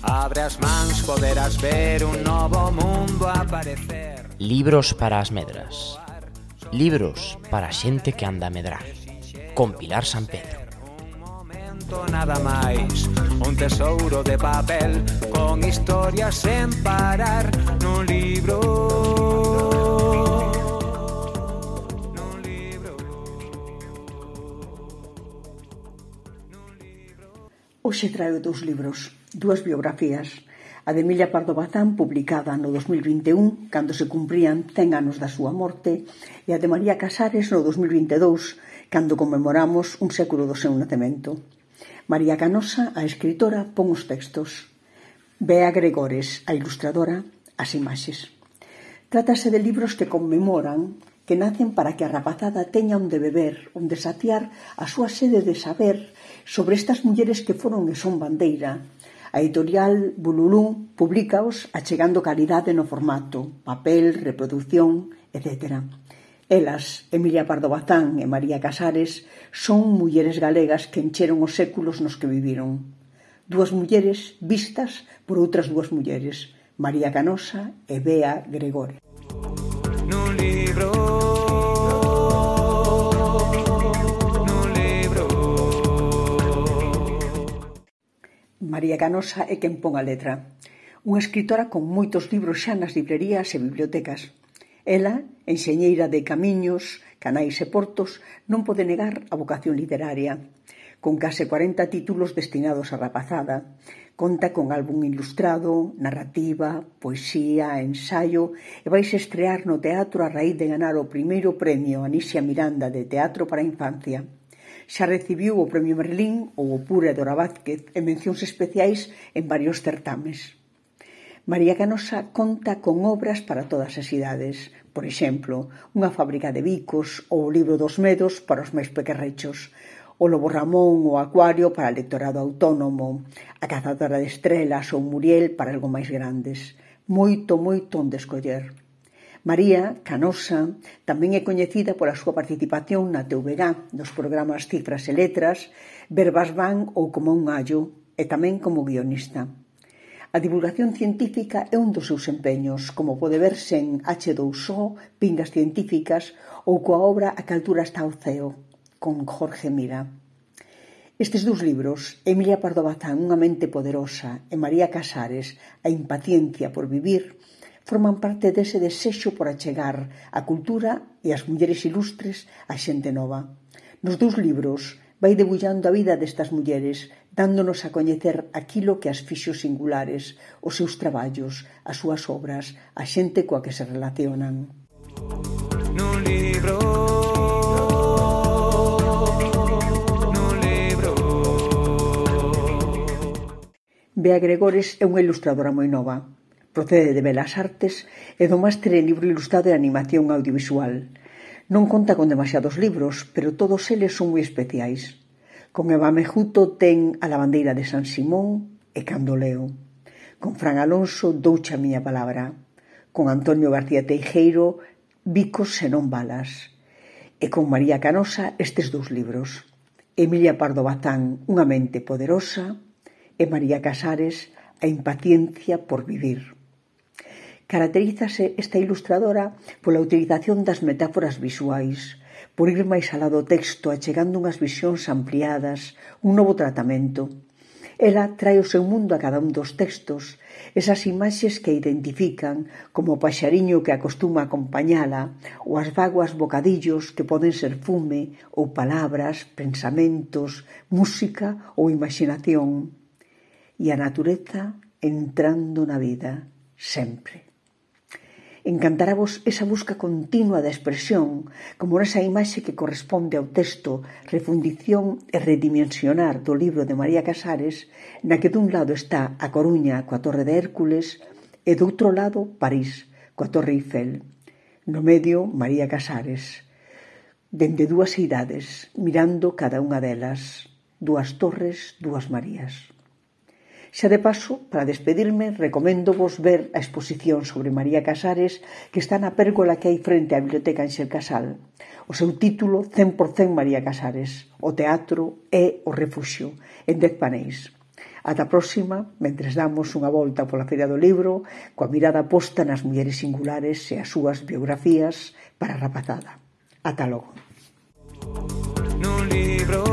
Abre as mans, poderás ver un novo mundo aparecer. Libros para as medras. Libros para a xente que anda a medrar. Con Pilar San Pedro. Un momento nada máis, un tesouro de papel con historias sen parar nun libro. Nun libro. Hoxe traio dous libros, dúas biografías. A de Emilia Pardo Bazán, publicada no 2021, cando se cumprían 100 anos da súa morte, e a de María Casares no 2022, cando conmemoramos un século do seu nacemento. María Canosa, a escritora, pon os textos. Bea Gregores, a ilustradora, as imaxes. Trátase de libros que conmemoran, que nacen para que a rapazada teña onde beber, onde saciar a súa sede de saber sobre estas mulleres que foron e son bandeira. A editorial Bululú publicaos achegando calidade no formato, papel, reproducción, etc. Elas, Emilia Pardo Bazán e María Casares, son mulleres galegas que encheron os séculos nos que viviron. Dúas mulleres vistas por outras dúas mulleres, María Canosa e Bea Gregore. Nun libro. María Canosa é quen pon a letra. Unha escritora con moitos libros xa nas librerías e bibliotecas. Ela, enxeñeira de camiños, canais e portos, non pode negar a vocación literaria. Con case 40 títulos destinados á rapazada, conta con álbum ilustrado, narrativa, poesía, ensaio e vais estrear no teatro a raíz de ganar o primeiro premio Anisia Miranda de Teatro para a Infancia. Xa recibiu o Premio Merlín ou o Pura Dora Vázquez e mencións especiais en varios certames. María Canosa conta con obras para todas as idades. Por exemplo, unha fábrica de bicos ou o libro dos medos para os máis pequerrechos, o Lobo Ramón ou Acuario para o lectorado autónomo, a Cazadora de Estrelas ou Muriel para algo máis grandes. Moito onde escoller. María Canosa tamén é coñecida pola súa participación na TVG, nos programas Cifras e Letras, Verbas Van ou Como un gallo, e tamén como guionista. A divulgación científica é un dos seus empeños, como pode verse en H2O, Pingas Científicas, ou coa obra A que altura está o ceo, con Jorge Mira. Estes dous libros, Emilia Pardo Bazán, Unha mente poderosa, e María Casares, A impaciencia por vivir, forman parte dese desexo por achegar a cultura e as mulleres ilustres a xente nova. Nos dous libros vai debullando a vida destas mulleres, dándonos a coñecer aquilo que as fixo singulares, os seus traballos, as súas obras, a xente coa que se relacionan. Nun libro. Nun libro. Bea Gregores é unha ilustradora moi nova. Procede de Belas Artes e do máster en libro ilustrado e animación audiovisual. Non conta con demasiados libros, pero todos eles son moi especiais. Con Eva Mejuto ten A lavandeira de San Simón e Cando leo. Con Fran Alonso, Douche a miña palabra. Con Antonio García Teijeiro, Bicos e non balas. E con María Canosa estes dous libros. Emilia Pardo Bazán, Unha mente poderosa, e María Casares, A impaciencia por vivir. Caracterízase esta ilustradora pola utilización das metáforas visuais, por ir máis alá do texto achegando unhas visións ampliadas, un novo tratamento. Ela trae o seu mundo a cada un dos textos, esas imaxes que identifican como o paxariño que acostuma acompañala, ou as vaguas bocadillos que poden ser fume, ou palabras, pensamentos, música ou imaginación. E a natureza entrando na vida, sempre. Encantaravos esa busca continua da expresión, como nesa imaxe que corresponde ao texto Refundición e redimensionar do libro de María Casares, na que dun lado está a Coruña coa Torre de Hércules e do outro lado París coa Torre Eiffel. No medio, María Casares, dende dúas idades, mirando cada unha delas, dúas torres, dúas Marías. Xa de paso, para despedirme, recoméndovos ver a exposición sobre María Casares que está na pérgola que hai frente á Biblioteca Ánxel Casal. O seu título, 100% María Casares. O teatro é o refuxio, en 10 paneis. Ata a próxima, mentres damos unha volta pola Feira do Libro, coa mirada posta nas mulleres singulares e as súas biografías para a rapazada. Ata logo. Nun libro